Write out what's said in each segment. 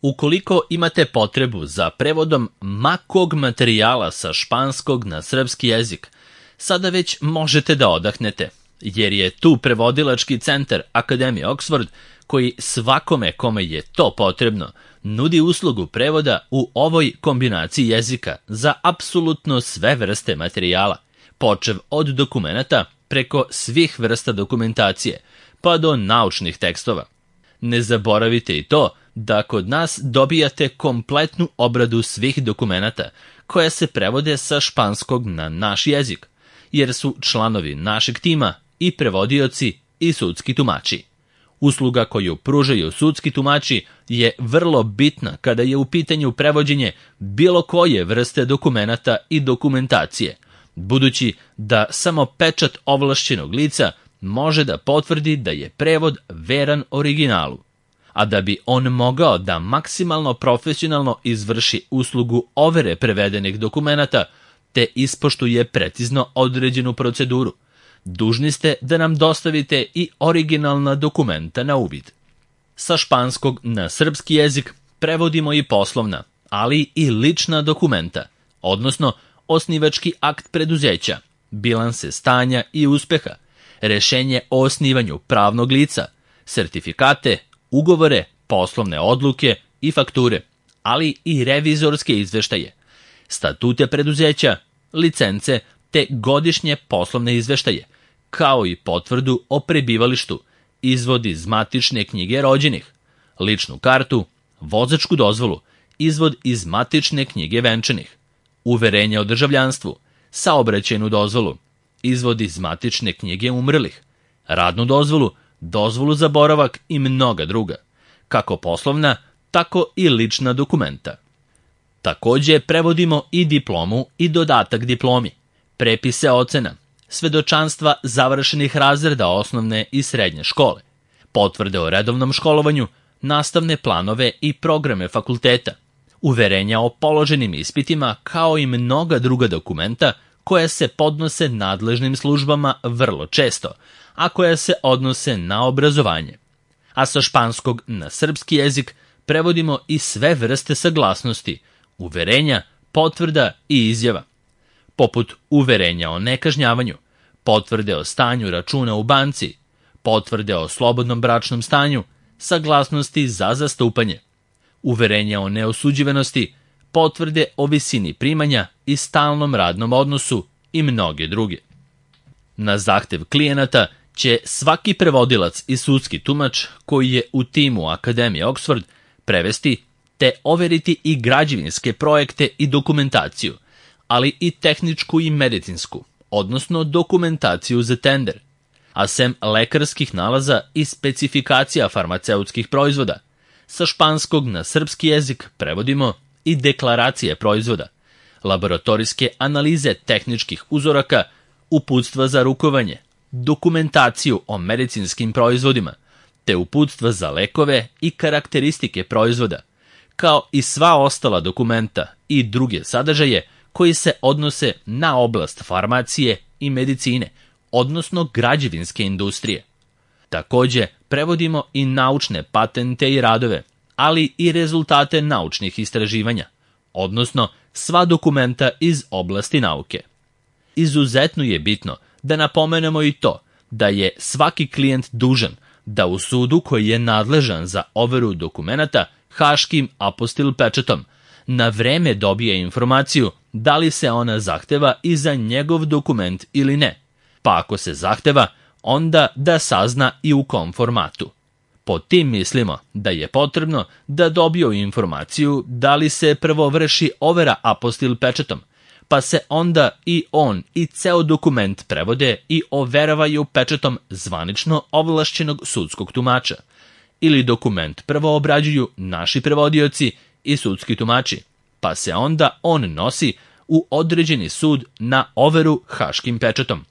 Ukoliko imate potrebu za prevodom ma kog materijala sa španskog na srpski jezik, sada već možete da odahnete, jer je tu prevodilački centar Akademije Oxford koji svakome kome je to potrebno nudi uslugu prevoda u ovoj kombinaciji jezika za apsolutno sve vrste materijala, počev od dokumenata preko svih vrsta dokumentacije, pa do naučnih tekstova. Ne zaboravite i to da kod nas dobijate kompletnu obradu svih dokumenata koja se prevode sa španskog na naš jezik, jer su članovi našeg tima i prevodioci i sudski tumači. Usluga koju pružaju sudski tumači je vrlo bitna kada je u pitanju prevođenje bilo koje vrste dokumenata i dokumentacije, budući da samo pečat ovlašćenog lica može da potvrdi da je prevod veran originalu. A da bi on mogao da maksimalno profesionalno izvrši uslugu overe prevedenih dokumenata te ispoštuje precizno određenu proceduru, dužni ste da nam dostavite i originalna dokumenta na uvid. Sa španskog na srpski jezik prevodimo i poslovna, ali i lična dokumenta, odnosno osnivački akt preduzeća, bilanse stanja i uspeha, rešenje o osnivanju pravnog lica, sertifikate, ugovore, poslovne odluke i fakture, ali i revizorske izveštaje, statute preduzeća, licence te godišnje poslovne izveštaje, kao i potvrdu o prebivalištu, izvod iz matične knjige rođenih, ličnu kartu, vozačku dozvolu, izvod iz matične knjige venčanih, uverenje o državljanstvu, saobraćajnu dozvolu, izvod iz matične knjige umrlih, radnu dozvolu, dozvolu za boravak i mnoga druga, kako poslovna, tako i lična dokumenta. Takođe prevodimo i diplomu i dodatak diplomi, prepise ocena, svedočanstva završenih razreda osnovne i srednje škole, potvrde o redovnom školovanju, nastavne planove i programe fakulteta, uverenja o položenim ispitima kao i mnoga druga dokumenta koja se podnose nadležnim službama vrlo često, a koja se odnose na obrazovanje. A sa španskog na srpski jezik prevodimo i sve vrste saglasnosti, uverenja, potvrda i izjava, poput uverenja o nekažnjavanju, potvrde o stanju računa u banci, potvrde o slobodnom bračnom stanju, saglasnosti za zastupanje, uverenja o neosuđivanosti, potvrde o visini primanja i stalnom radnom odnosu i mnoge druge. Na zahtev klijenata će svaki prevodilac i sudski tumač koji je u timu Akademije Oxford prevesti te overiti i građevinske projekte i dokumentaciju, ali i tehničku i medicinsku, odnosno dokumentaciju za tender, a sem lekarskih nalaza i specifikacija farmaceutskih proizvoda. Sa španskog na srpski jezik prevodimo i deklaracije proizvoda, laboratorijske analize tehničkih uzoraka, uputstva za rukovanje, dokumentaciju o medicinskim proizvodima, te uputstva za lekove i karakteristike proizvoda, kao i sva ostala dokumenta i druge sadržaje koji se odnose na oblast farmacije i medicine, odnosno građevinske industrije. Takođe, prevodimo i naučne patente i radove, ali i rezultate naučnih istraživanja, odnosno sva dokumenta iz oblasti nauke. Izuzetno je bitno da napomenemo i to da je svaki klijent dužan da u sudu koji je nadležan za overu dokumenata haškim apostil pečatom na vreme dobije informaciju da li se ona zahteva i za njegov dokument ili ne, pa ako se zahteva, onda da sazna i u kom formatu. Pod tim mislimo da je potrebno da dobiju informaciju da li se prvo vrši overa apostil pečatom, pa se onda i on i ceo dokument prevode i overavaju pečatom zvanično ovlašćenog sudskog tumača, ili dokument prvo obrađuju naši prevodioci i sudski tumači, pa se onda on nosi u određeni sud na overu haškim pečatom.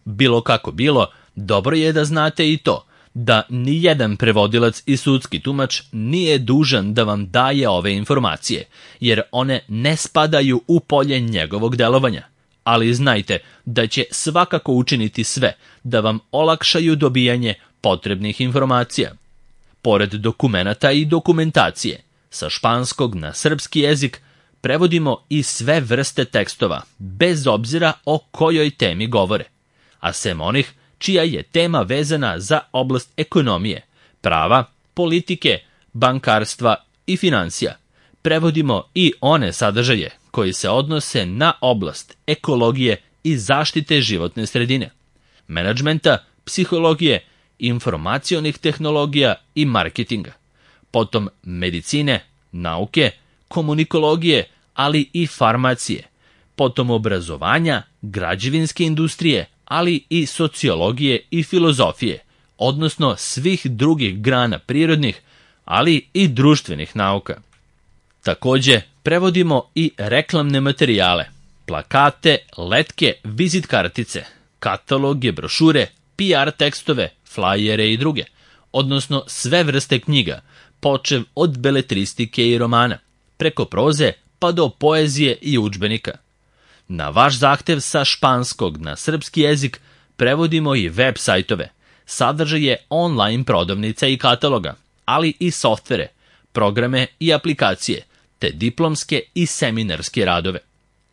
Bilo kako bilo, dobro je da znate i to, da nijedan prevodilac i sudski tumač nije dužan da vam daje ove informacije, jer one ne spadaju u polje njegovog delovanja. Ali znajte da će svakako učiniti sve da vam olakšaju dobijanje potrebnih informacija. Pored dokumenata i dokumentacije, Sa španskog na srpski jezik prevodimo i sve vrste tekstova, bez obzira o kojoj temi govore, a sem onih čija je tema vezana za oblast ekonomije, prava, politike, bankarstva i financija. Prevodimo i one sadržaje koji se odnose na oblast ekologije i zaštite životne sredine, menadžmenta, psihologije, informacionih tehnologija i marketinga, potom medicine, nauke, komunikologije, ali i farmacije, potom obrazovanja, građevinske industrije, ali i sociologije i filozofije, odnosno svih drugih grana prirodnih, ali i društvenih nauka. Takođe, prevodimo i reklamne materijale, plakate, letke, vizit kartice, kataloge, brošure, PR tekstove, flajere i druge, odnosno sve vrste knjiga, počev od beletristike i romana, preko proze pa do poezije i udžbenika. Na vaš zahtev sa španskog na srpski jezik prevodimo i web sajtove, sadržaje online prodavnica i kataloga, ali i softvere, programe i aplikacije, te diplomske i seminarske radove.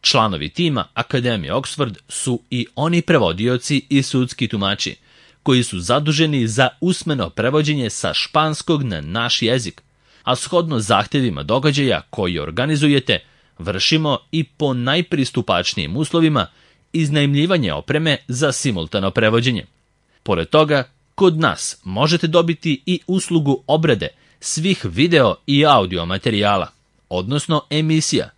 Članovi tima Akademije Oxford su i oni prevodioci i sudski tumači, koji su zaduženi za usmeno prevođenje sa španskog na naš jezik, a shodno zahtevima događaja koji organizujete, vršimo i po najpristupačnijim uslovima iznajmljivanje opreme za simultano prevođenje. Pored toga, kod nas možete dobiti i uslugu obrade svih video i audio materijala, odnosno emisija,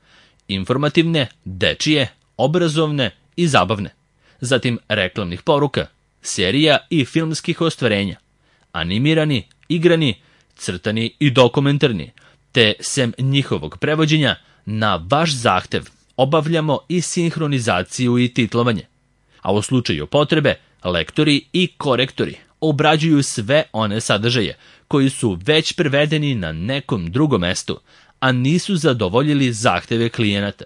informativne, dečije, obrazovne i zabavne, zatim reklamnih poruka, serija i filmskih ostvarenja, animirani, igrani, crtani i dokumentarni, te sem njihovog prevođenja, na vaš zahtev obavljamo i sinhronizaciju i titlovanje, a u slučaju potrebe lektori i korektori obrađuju sve one sadržaje koji su već prevedeni na nekom drugom mestu, a nisu zadovoljili zahteve klijenata.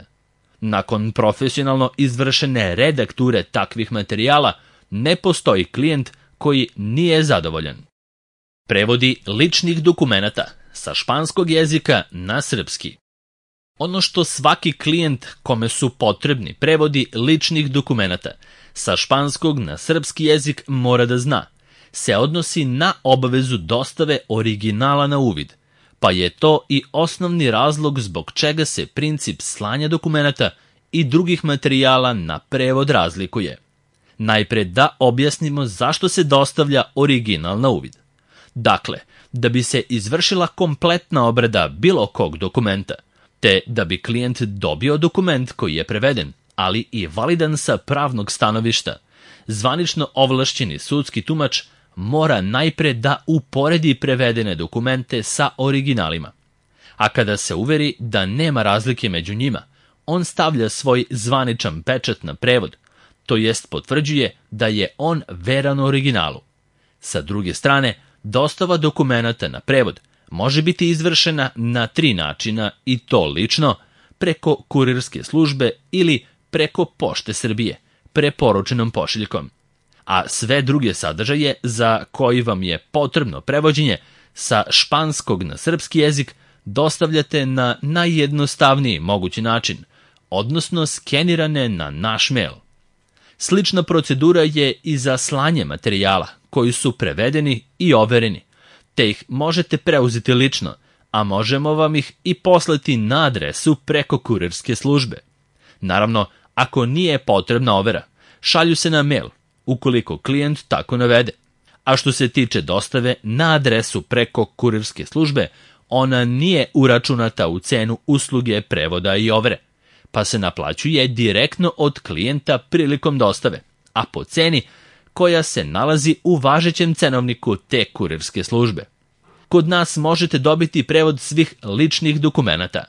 Nakon profesionalno izvršene redakture takvih materijala, ne postoji klijent koji nije zadovoljan. Prevodi ličnih dokumenata sa španskog jezika na srpski. Ono što svaki klijent kome su potrebni prevodi ličnih dokumenata sa španskog na srpski jezik mora da zna, se odnosi na obavezu dostave originala na uvid, pa je to i osnovni razlog zbog čega se princip slanja dokumenata i drugih materijala na prevod razlikuje. Najpre da objasnimo zašto se dostavlja original na uvid. Dakle, da bi se izvršila kompletna obrada bilo kog dokumenta, te da bi klijent dobio dokument koji je preveden, ali i validan sa pravnog stanovišta, zvanično ovlašćeni sudski tumač mora najpre da uporedi prevedene dokumente sa originalima. A kada se uveri da nema razlike među njima, on stavlja svoj zvaničan pečat na prevod, to jest potvrđuje da je on veran originalu. Sa druge strane, dostava dokumenata na prevod može biti izvršena na 3 načina i to lično, preko kurirske službe ili preko Pošte Srbije, preporučenom pošiljkom. A sve druge sadržaje za koji vam je potrebno prevođenje sa španskog na srpski jezik dostavljate na najjednostavniji mogući način, odnosno skenirane na naš mail. Slična procedura je i za slanje materijala koji su prevedeni i overeni, te ih možete preuzeti lično, a možemo vam ih i poslati na adresu preko kurirske službe. Naravno, ako nije potrebna overa, šalju se na mail, ukoliko klijent tako navede. A što se tiče dostave na adresu preko kurirske službe, ona nije uračunata u cenu usluge prevoda i overe, pa se naplaćuje direktno od klijenta prilikom dostave, a po ceni koja se nalazi u važećem cenovniku te kurirske službe. Kod nas možete dobiti prevod svih ličnih dokumenata,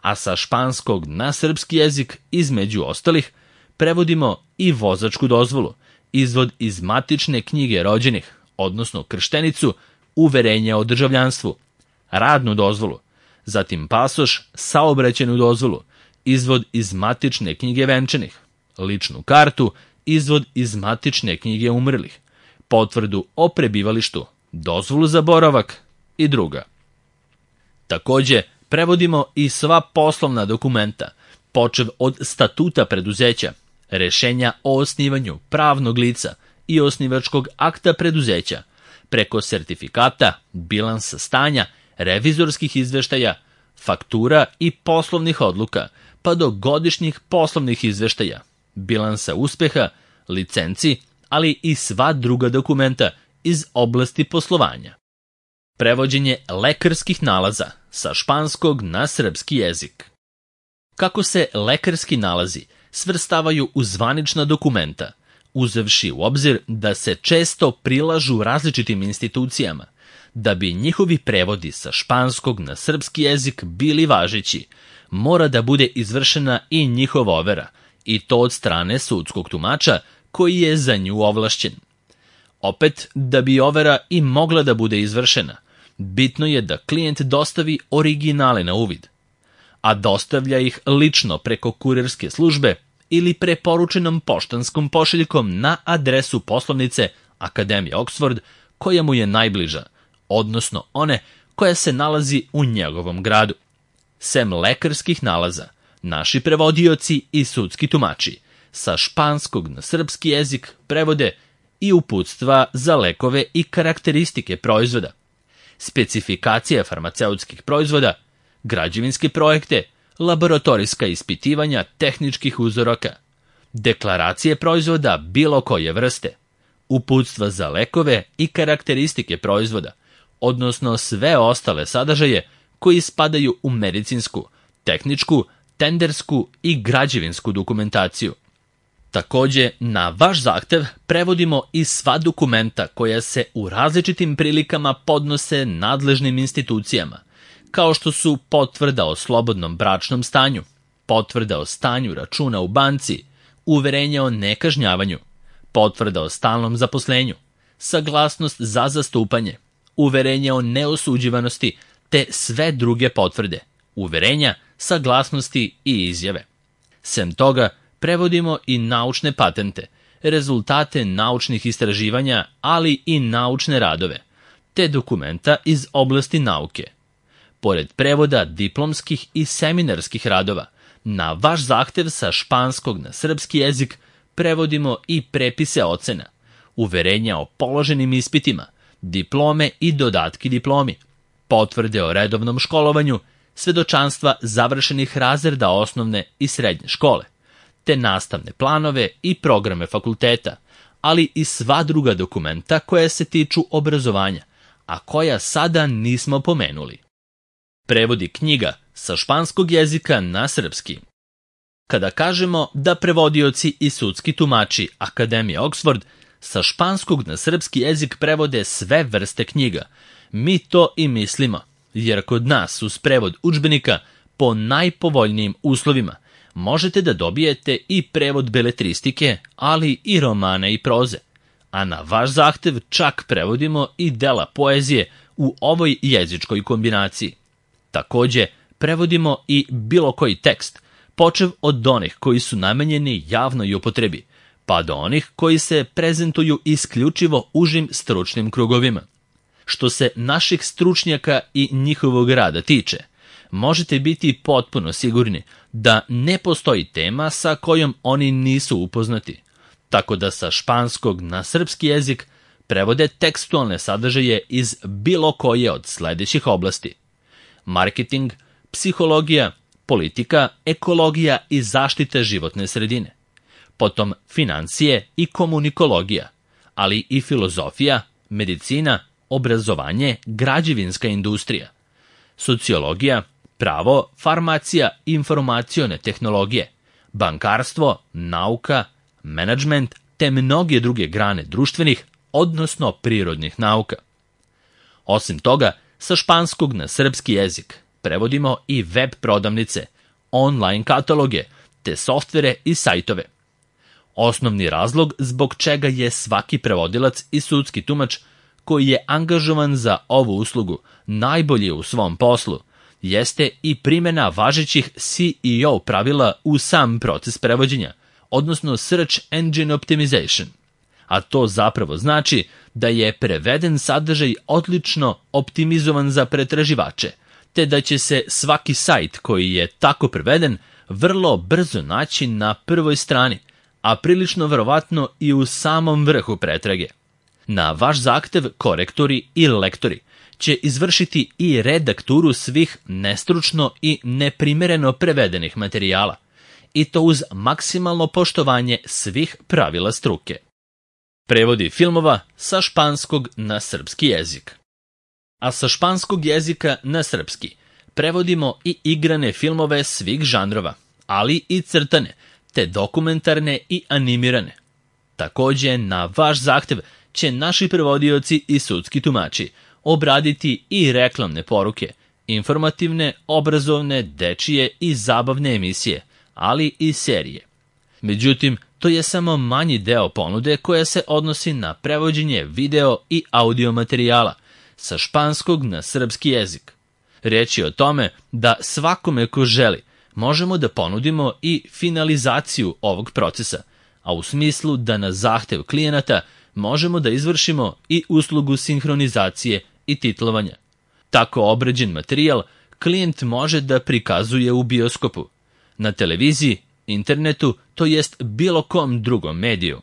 a sa španskog na srpski jezik, između ostalih, prevodimo i vozačku dozvolu, izvod iz matične knjige rođenih, odnosno krštenicu, uverenje o državljanstvu, radnu dozvolu, zatim pasoš, saobraćajnu dozvolu, izvod iz matične knjige venčanih, ličnu kartu, izvod iz matične knjige umrlih, potvrdu o prebivalištu, dozvolu za boravak i druga. Takođe, prevodimo i sva poslovna dokumenta, počev od statuta preduzeća, rešenja o osnivanju pravnog lica i osnivačkog akta preduzeća, preko sertifikata, bilansa stanja, revizorskih izveštaja, faktura i poslovnih odluka, pa do godišnjih poslovnih izveštaja, bilansa uspeha, licenci, ali i sva druga dokumenta iz oblasti poslovanja. Prevođenje lekarskih nalaza sa španskog na srpski jezik. Kako se lekarski nalazi svrstavaju u zvanična dokumenta, uzevši u obzir da se često prilažu različitim institucijama, da bi njihovi prevodi sa španskog na srpski jezik bili važeći, mora da bude izvršena i njihova overa, i to od strane sudskog tumača koji je za nju ovlašćen. Opet, da bi overa i mogla da bude izvršena, bitno je da klijent dostavi originale na uvid, a dostavlja ih lično preko kurirske službe ili preporučenom poštanskom pošiljkom na adresu poslovnice Akademije Oxford koja mu je najbliža, odnosno one koja se nalazi u njegovom gradu. Sem lekarskih nalaza, naši prevodioci i sudski tumači sa španskog na srpski jezik prevode i uputstva za lekove i karakteristike proizvoda, specifikacije farmaceutskih proizvoda, građevinske projekte, laboratorijska ispitivanja tehničkih uzoraka, deklaracije proizvoda bilo koje vrste, uputstva za lekove i karakteristike proizvoda, odnosno sve ostale sadržaje koji spadaju u medicinsku, tehničku, tendersku i građevinsku dokumentaciju. Takođe, na vaš zahtev prevodimo i sva dokumenta koja se u različitim prilikama podnose nadležnim institucijama, kao što su potvrda o slobodnom bračnom stanju, potvrda o stanju računa u banci, uverenje o nekažnjavanju, potvrda o stalnom zaposlenju, saglasnost za zastupanje, uverenje o neosuđivanosti, te sve druge potvrde, uverenja, saglasnosti i izjave. Sem toga, prevodimo i naučne patente, rezultate naučnih istraživanja, ali i naučne radove, te dokumenta iz oblasti nauke. Pored prevoda diplomskih i seminarskih radova, na vaš zahtev sa španskog na srpski jezik prevodimo i prepise ocena, uverenja o položenim ispitima, diplome i dodatki diplomi, potvrde o redovnom školovanju, svedočanstva završenih razreda osnovne i srednje škole, te nastavne planove i programe fakulteta, ali i sva druga dokumenta koja se tiču obrazovanja, a koja sada nismo pomenuli. Prevodi knjiga sa španskog jezika na srpski. Kada kažemo da prevodioci i sudski tumači Akademije Oxford sa španskog na srpski jezik prevode sve vrste knjiga, mi to i mislimo, jer kod nas uz prevod udžbenika po najpovoljnijim uslovima možete da dobijete i prevod beletristike, ali i romana i proze, a na vaš zahtev čak prevodimo i dela poezije u ovoj jezičkoj kombinaciji. Takođe, prevodimo i bilo koji tekst, počev od onih koji su namenjeni javnoj upotrebi, pa do onih koji se prezentuju isključivo užim stručnim krugovima. Što se naših stručnjaka i njihovog rada tiče, možete biti potpuno sigurni da ne postoji tema sa kojom oni nisu upoznati, tako da sa španskog na srpski jezik prevode tekstualne sadržaje iz bilo koje od sledećih oblasti: marketing, psihologija, politika, ekologija i zaštita životne sredine, potom financije i komunikologija, ali i filozofija, medicina, obrazovanje, građevinska industrija, sociologija, pravo, farmacija, informacione tehnologije, bankarstvo, nauka, menadžment, te mnoge druge grane društvenih, odnosno prirodnih nauka. Osim toga, sa španskog na srpski jezik prevodimo i web prodavnice, online kataloge, te softvere i sajtove. Osnovni razlog zbog čega je svaki prevodilac i sudski tumač koji je angažovan za ovu uslugu najbolji u svom poslu, jeste i primjena važećih CEO pravila u sam proces prevođenja, odnosno Search Engine Optimization. A to zapravo znači da je preveden sadržaj odlično optimizovan za pretraživače, te da će se svaki sajt koji je tako preveden vrlo brzo naći na prvoj strani, a prilično verovatno i u samom vrhu pretrage. Na vaš zahtev korektori i lektori će izvršiti i redakturu svih nestručno i neprimereno prevedenih materijala, i to uz maksimalno poštovanje svih pravila struke. Prevodi filmova sa španskog na srpski jezik. A sa španskog jezika na srpski prevodimo i igrane filmove svih žanrova, ali i crtane, te dokumentarne i animirane. Takođe, na vaš zahtev će naši prevodioci i sudski tumači obraditi i reklamne poruke, informativne, obrazovne, dečije i zabavne emisije, ali i serije. Međutim, to je samo manji deo ponude koja se odnosi na prevođenje video i audio materijala sa španskog na srpski jezik. Reč je o tome da svakome ko želi možemo da ponudimo i finalizaciju ovog procesa, a u smislu da na zahtev klijenata možemo da izvršimo i uslugu sinhronizacije i titlovanja. Tako obrađen materijal klijent može da prikazuje u bioskopu, na televiziji, internetu, to jest bilo kom drugom mediju.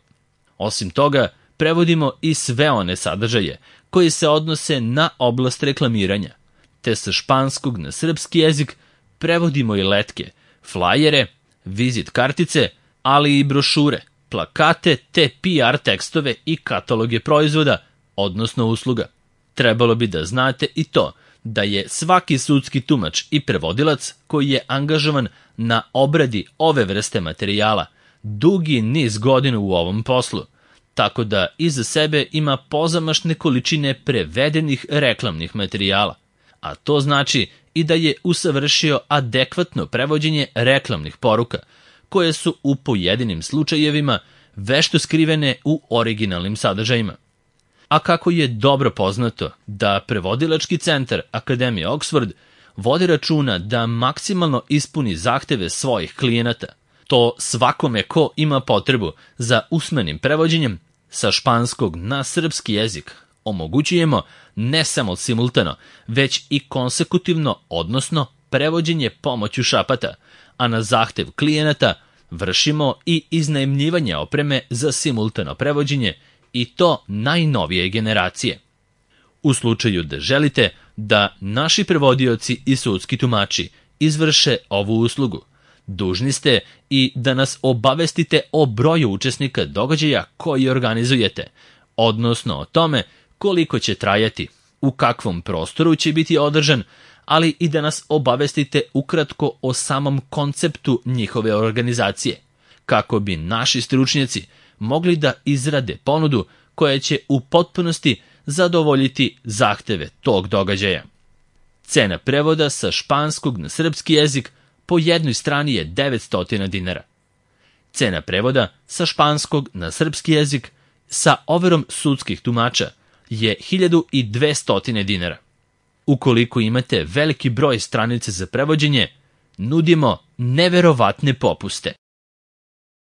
Osim toga, prevodimo i sve one sadržaje koji se odnose na oblast reklamiranja, te sa španskog na srpski jezik prevodimo i letke, flajere, vizit kartice, ali i brošure, plakate te PR tekstove i kataloge proizvoda, odnosno usluga. Trebalo bi da znate i to da je svaki sudski tumač i prevodilac koji je angažovan na obradi ove vrste materijala dugi niz godina u ovom poslu, tako da iza sebe ima pozamašne količine prevedenih reklamnih materijala, a to znači i da je usavršio adekvatno prevođenje reklamnih poruka, koje su u pojedinim slučajevima vešto skrivene u originalnim sadržajima. A kako je dobro poznato da prevodilački centar Akademije Oxford vodi računa da maksimalno ispuni zahteve svojih klijenata, to svakome ko ima potrebu za usmenim prevođenjem sa španskog na srpski jezik omogućujemo ne samo simultano, već i konsekutivno, odnosno prevođenje pomoću šapata, a na zahtev klijenata vršimo i iznajmljivanje opreme za simultano prevođenje, i to najnovije generacije. U slučaju da želite da naši prevodioci i sudski tumači izvrše ovu uslugu, dužni ste i da nas obavestite o broju učesnika događaja koji organizujete, odnosno o tome koliko će trajati, u kakvom prostoru će biti održan, ali i da nas obavestite ukratko o samom konceptu njihove organizacije, kako bi naši stručnjaci mogli da izrade ponudu koja će u potpunosti zadovoljiti zahteve tog događaja. Cena prevoda sa španskog na srpski jezik po jednoj strani je 900 dinara. Cena prevoda sa španskog na srpski jezik sa overom sudskih tumača je 1200 dinara. Ukoliko imate veliki broj stranica za prevođenje, nudimo neverovatne popuste.